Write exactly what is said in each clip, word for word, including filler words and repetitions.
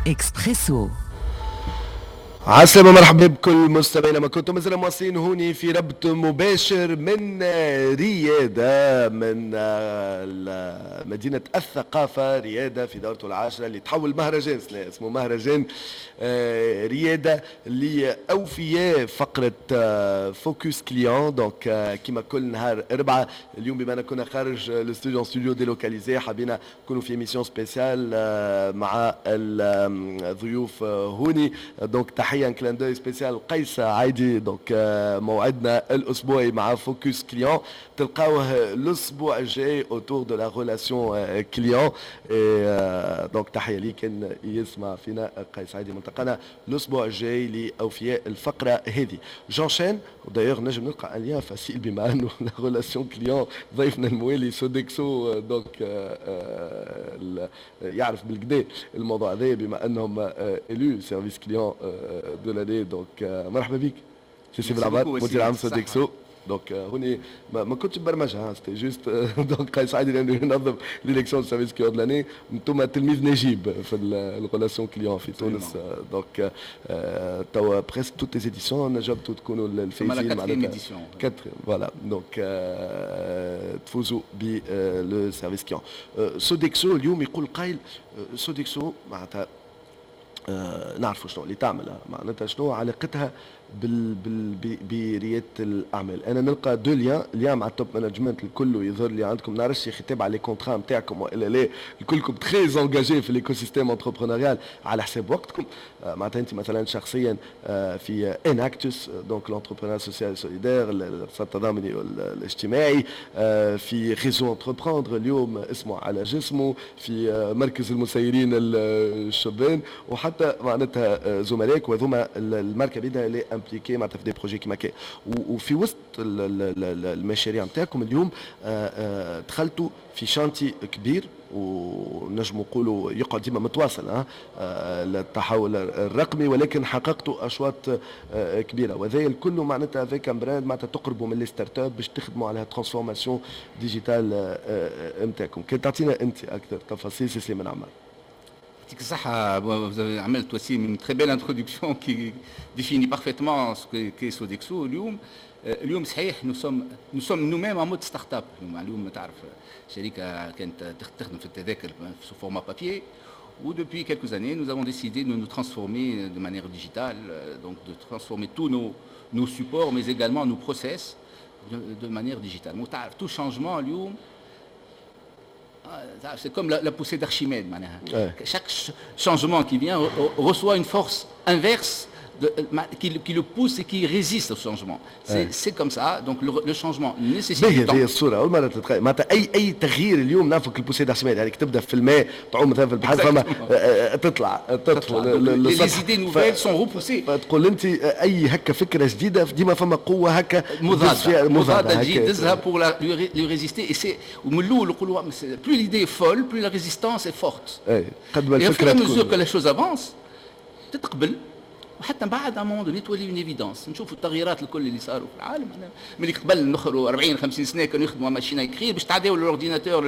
اكسبريسو. عسلامة، مرحبا بكل مستمعينا ما كنتم، مازلنا مواصلين هوني في ربط مباشر من ريادة، من مدينة الثقافة ريادة في دورته العاشرة اللي تحول مهرجان اسمه مهرجان آه، ريادة لأوفياء فقرة focus client. donc كيما كل نهار أربعة، اليوم بما كنا خارج الاستوديو، studio délocalisé، حبينا نكونوا في émission spéciale آه، مع الضيوف هوني. donc تحية، clin d'œil spécial قيس عايدي. donc موعدنا الاسبوعي مع focus client تلقاوه الاسبوع الجاي autour de la relation client. donc تحية ليك كان يسمع فينا قيس عايدي، ملتقانا الاسبوع الجاي لاوفياء الفقرة هذه. j'enchaîne، d'ailleurs نجم نلقى un lien facile بما انه la relation client، ضيفنا الموالي Sodexo، donc يعرف بالقدا الموضوع هذا بما انهم élus service client de l'année. donc مرحبا بك سي سي بالعباد، مدير عام Sodexo. donc هوني ما, ما كنتش برمجها، c'était juste donc قيس عادي لانه ينظم l'élection service client de l'année. انتم تلميذ نجيب في ال relation client في تونس، donc توا presque toutes les éditions نجمتوا تكونوا الفايزين. معناتها quatre، voilà، donc تفوزوا ب le service client Sodexo. اليوم يقول قايل Sodexo معناتها نعرفوا شنو اللي تعمل، معناتها شنو علاقتها بال بال بريادة الاعمال؟ انا نلقى deux liens، lien مع ال top management الكل يظهر لي عندكم، نعرفش خطاب على les contrats نتاعكم والا لا، الكلكم très engagés في l'écosystème entrepreneurial على حساب وقتكم. آه، معناتها انت مثلا شخصيا آه، في Enactus، donc l'entrepreneuriat social solidaire، الاقتصاد التضامني الاجتماعي، آه، في réseau Entreprendre اليوم اسمه على جسمه، في مركز المسيرين الشبان، وحتى معناتها زملائك وهذوما الماركة بيدها اللي impliquée معناتها في des projets كيما كي. وفي وسط المشاريع نتاعكم اليوم دخلتوا في chantier كبير ونجم نقولوا يقعد ديما متواصل ها التحول الرقمي، ولكن حققتوا اشواط آه، كبيره، وهذا الكل معناتها avec un brand معناتها تقربوا من les startups باش تخدموا على transformation digitale نتاعكم. كان تعطينا انت اكثر تفاصيل سي سليمان عمار. يعطيك الصحة، vous avez عملت aussi une très belle introduction qui définit parfaitement ce qu'est Sodexo اليوم. اليوم صحيح nous sommes nous sommes nous-mêmes en mode start-up. اليوم تعرف شركة كانت تخدم في التذاكر sous format papier، و depuis quelques années, nous avons décidé de nous transformer de manière digitale, donc de transformer tous nos, nos supports, mais également nos process de, de manière digitale. Tout changement, اليوم c'est comme la, la poussée d'Archimède. Ouais. Chaque changement qui vient reçoit une force inverse de, qui, qui, le pousse et qui résiste au changement. C'est ouais. comme ça. Donc le, le changement nécessite du temps. هذه الصورة أول مرة تتخيل معناتها أي أي تغيير اليوم نعرفك ال poussée d'Archimède، يعني تبدا في الماء تعوم مثلا في البحر فما تطلع تطفو. Les idées nouvelles sont repoussées. تقول أنت أي هكا فكرة جديدة ديما فما قوة هكا مضادة مضادة تجي تدزها pour la, lui résister et c'est ومن الأول نقولوا plus l'idée est folle، plus la résistance est forte. قد ما الفكرة et au fur et à mesure que la chose avance تتقبل، وحتى من بعد à un moment donné تولي une évidence. نشوفوا التغييرات الكل اللي صاروا في العالم، من قبل نخروا أربعين خمسين سنة كانوا يخدموا machine à écrire باش تعداو l'ordinateur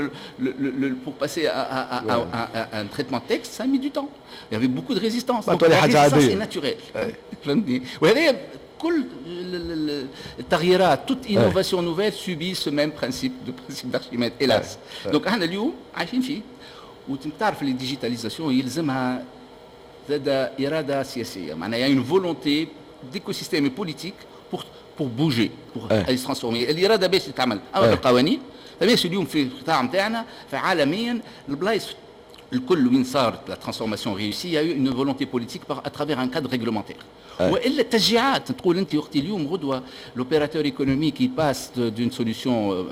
pour passer à un traitement de texte، ça a mis du temps، il y avait beaucoup de résistance. donc la résistance est naturelle، فهمتني؟ وهذا كل التغييرات، toute innovation nouvelle subit ce même principe de principe d'Archimède، hélas. donc احنا اليوم عايشين فيه، وتعرف ال digitalisation يلزمها زاد اراده سياسيه، معناها y a une volonté d'écosystème politique pour pour bouger، pour aller se transformer. الارادة باش تتعمل، اما بالقوانين فماش. اليوم في القطاع نتاعنا، فعالميا البلايص الكل وين صارت la transformation réussie، y a une volonté politique à travers un cadre réglementaire والا التشجيعات. تقول انت وقت اليوم غدوه l'opérateur économique qui passe d'une solution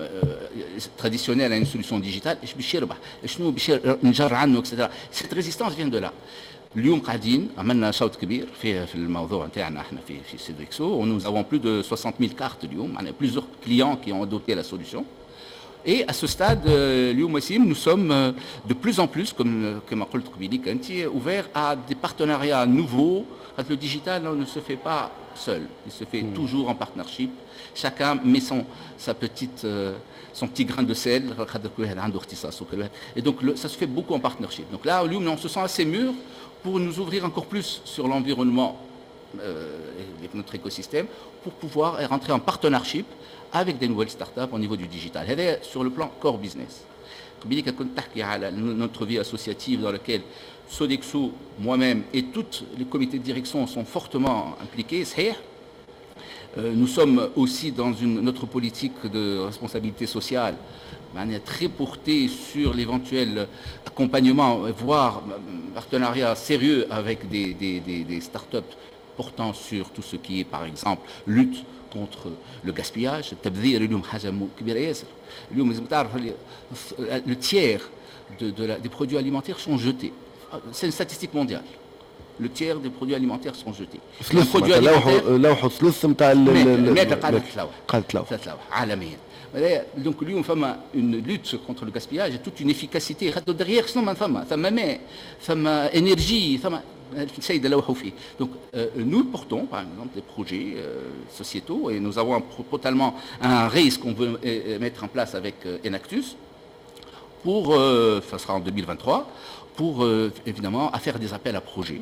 traditionnelle à une solution digitale، ايش باش يربح؟ شنو باش نجر عنه؟ et cetera. cette résistance vient de là. اليوم قاعدين عملنا شوط كبير في في الموضوع نتاعنا احنا في في Sodexo، nous avons plus de soixante mille cartes اليوم، معناها plusieurs clients qui ont adopté la solution. Et à ce stade, اليوم وسيم, nous sommes de plus en plus, comme كما قلت قبيليك انت, ouverts à des partenariats nouveaux. Le digital ne se fait pas seul, il se fait mmh. toujours en partnership. Chacun met son, sa petite, euh, son petit grain de sel. Et donc le, ça se fait beaucoup en partnership. Donc là, اليوم, on se sent assez mûr pour nous ouvrir encore plus sur l'environnement euh, et notre écosystème, pour pouvoir rentrer en partnership avec des nouvelles startups au niveau du digital. هذا sur le plan core business. قبيلك كنت تحكي على notre vie associative dans laquelle Sodexo, moi-même et tous les comités de direction sont fortement impliqués, صحيح. Nous sommes aussi dans une, notre politique de responsabilité sociale très portée sur l'éventuel accompagnement, voire partenariat sérieux avec des, des, des, des startups portant sur tout ce qui est, par exemple, lutte contre le gaspillage. التبذير اليوم حاجة كبيرة ياسر. اليوم لازم تعرف le tiers de, de la, des produits alimentaires sont jetés. C'est une statistique mondiale. Le tiers des produits alimentaires sont jetés. ثلث لوحوا لوحوا ثلث نتاع الماكلة قاعدة تتلوح. قاعدة تلوح. تتلوح عالميا. Donc اليوم فما une lutte contre le gaspillage et toute une efficacité. خاطر derrière شنو ما فما؟ ثم ماء، ثم énergie، ثم السيد لوحوا فيه. Donc euh, nous portons par exemple des projets euh, sociétaux et nous avons un, totalement un risque qu'on veut euh, mettre en place avec euh, Enactus pour, euh, ça sera en deux mille vingt-trois, pour euh, évidemment à faire des appels à projets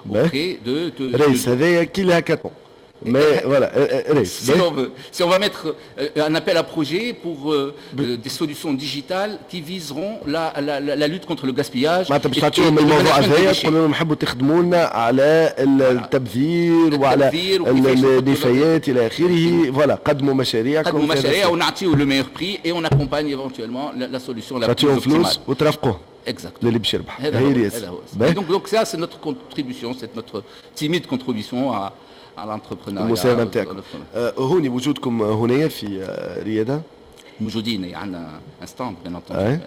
auprès de, de, race هذايا كي ال hackathon. Mais voilà, race. Si on veut, si on va mettre un appel à projet pour euh, des solutions digitales qui viseront la, la, la, la lutte contre le gaspillage. معناتها باش تعطيهم الموضوع هذايا، تقول لهم نحبوا تخدموا لنا على التبذير وعلى النفايات الى اخره، voilà، قدموا مشاريعكم. قدموا مشاريع ونعطيو le meilleur prix et on accompagne éventuellement la, la solution la plus تعطيهم فلوس وترافقوه. Exact. للي باش يربح. هذا هو هذا هو. Donc, donc ça, c'est notre contribution, c'est notre timide contribution à à l'entrepreneuriat. المساهمة نتاعكم. هوني وجودكم هنا في رياده؟ موجودين، عندنا un stand, bien entendu.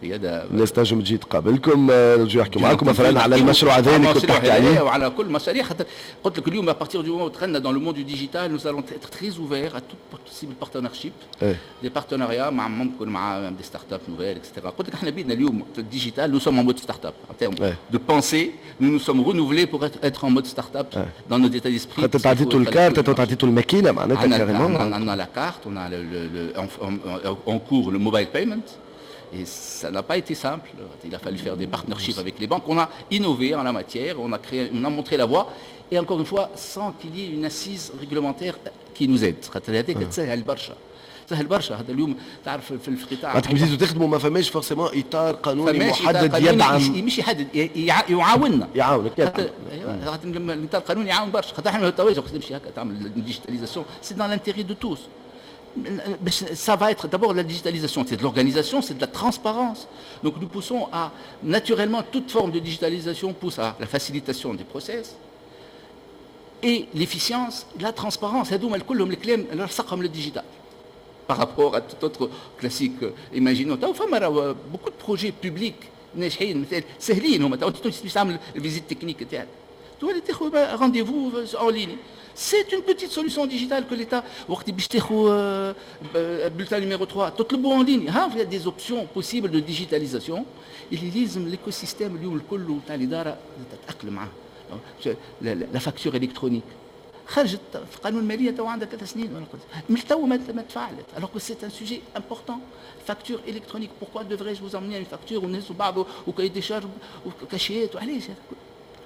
رياده. الناس تنجم تجي تقابلكم، يجوا يحكوا معاكم مثلا على المشروع هذا اللي كنت تحكي عليه. وعلى كل مشاريع، خاطر قلت لك اليوم à partir du moment où دخلنا dans le monde du digital, nous allons être très ouverts à tout possible partnership, des partenariats مع ممكن مع des startups nouvelles, et cetera. قلت لك احنا بيدنا اليوم في ال digital, nous sommes en mode startup en termes de pensée. Nous nous sommes renouvelés pour être, être en mode startup dans nos états d'esprit. خاطر تعطيتوا الكارت، تعطيتوا الماكينة معناتها carrément. On a la carte, on a le, le, le, en, en, en cours le mobile payment. Et ça n'a pas été simple. Il a fallu faire des partnerships avec les banques. On a innové en la matière, on a créé, on a montré la voie. Et encore une fois, sans qu'il y ait une assise réglementaire qui nous aide. هذيك تسهل برشا. سهل برشا هذا اليوم تعرف في القطاع. معناتها كي بديتوا تخدموا ما فماش forcément اطار قانوني محدد يدعم. مش يحدد، يعاوننا. يعاونك. خاطر الاطار القانوني يعاون برشا، خاطر احنا التواجد تمشي هكا تعمل digitalisation, c'est dans l'intérêt de tous. Ça va être d'abord la digitalisation, c'est de l'organisation, c'est de la transparence. Donc nous poussons à, naturellement, toute forme de digitalisation pousse à la facilitation des process et l'efficience, la transparence. هذوما كلهم الكلام لصقهم لل digital par rapport à tout autre classique. Imaginons, فما beaucoup de projets publics ناجحين مثال سهلين هما، تو تعمل ال visite technique تاعك تولي تاخذ rendez-vous en ligne. C'est une petite solution digitale que l'État, وقت باش تاخذ bulletin numéro trois تطلبوا en ligne. ها il y a des options possibles de digitalisation اللي لازم l'écosystème اليوم الكل تاع الادارة تتاقلم معاه. La facture électronique خرجت في قانون المالية تو عندها ثلاث سنين، من تو ما تفعلت, alors que c'est un sujet important. Facture électronique, pourquoi devrais-je vous emmener une facture ونهزوا بعض و cahier des charges وكاشيات؟ وعلاش,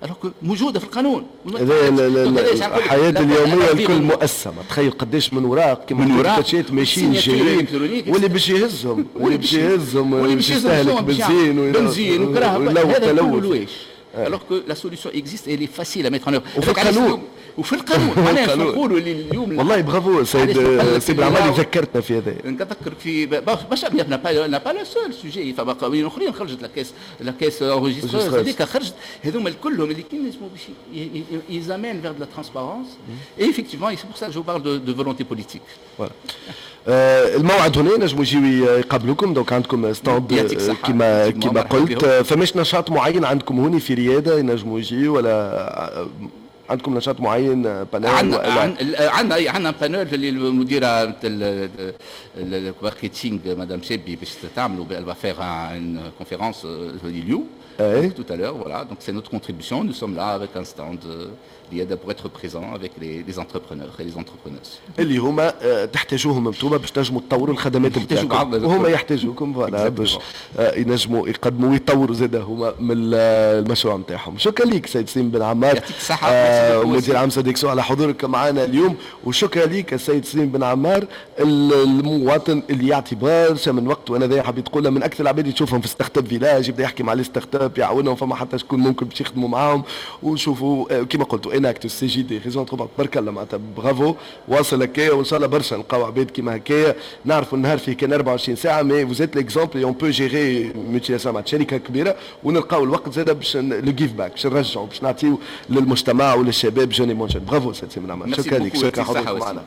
alors que موجودة في القانون؟ الحياة اليومية الكل مؤسسه، تخيل قداش من وراق كما من وراق كاشيات ماشيين جايين، واللي باش يهزهم واللي باش يهزهم واللي باش يستهلك بنزين. بنزين وكراهب، هذا كله لواش, alors que la solution existe et elle est facile à mettre en œuvre. وفي القانون. وفي القانون، معناها نقولوا اللي اليوم والله برافو سيد سيد العمالي، ذكرتنا في هذا. نتذكر في برشا، n'a pas le seul sujet، فما قوانين اخرين خرجت، la caisse la caisse enregistreuse هذيك خرجت، هذوما كلهم اللي كي نجموا باش ils amènent vers de la transparence et effectivement, c'est pour ça que je vous parle de, de volonté politique. Voilà. الموعد هنا نجموا يجيو يقابلوكم، donc عندكم stand كما كما قلت. فماش نشاط معين عندكم هوني في رياده ينجموا يجيو ولا؟ عندكم نشاط معين، panel؟ عندنا، عندنا عندنا panel اللي المديرة ال marketing madame شابي باش تعملوا، elle va faire une conférence اليوم tout à l'heure. Voilà, donc c'est notre contribution. Nous sommes là avec un stand pour être présent avec les, les entrepreneurs et les entrepreneuses. اللي هما تحتاجوهم انتم باش تنجموا تطوروا الخدمات نتاعكم، وهما يحتاجوكم، voilà، باش ينجموا يقدموا ويطوروا زاد هما من المشروع نتاعهم. شكرا لك سيد سليم بن عمار، يعطيك الصحة. آه مدير عام Sodexo، على حضورك معنا اليوم. وشكرا لك السيد سليم بن عمار، المواطن اللي يعطي برشا من وقته، وانا ذا حبيت تقولها، من اكثر العباد اللي تشوفهم في startup village، يبدا يحكي مع les startups، يعاونهم، فما حتى شكون ممكن باش يخدموا معاهم. ونشوفوا كيما قلتوا Enactus، CJD، réseau، تبارك الله، معناتها برافو، واصل هكايا، وان شاء الله برشا نلقاو عباد كيما هكايا. نعرفوا النهار فيه كان أربعة وعشرين ساعه، mais vous êtes l'exemple، on peut gérer multinationale، شركة كبيره، ونلقاو الوقت زاد باش le give back، باش نرجعوا، باش نعطيو للمجتمع وللشباب، jeunes et moins jeunes. bravo سيد سليم، شكرا لك، شكرا حضورك معنا.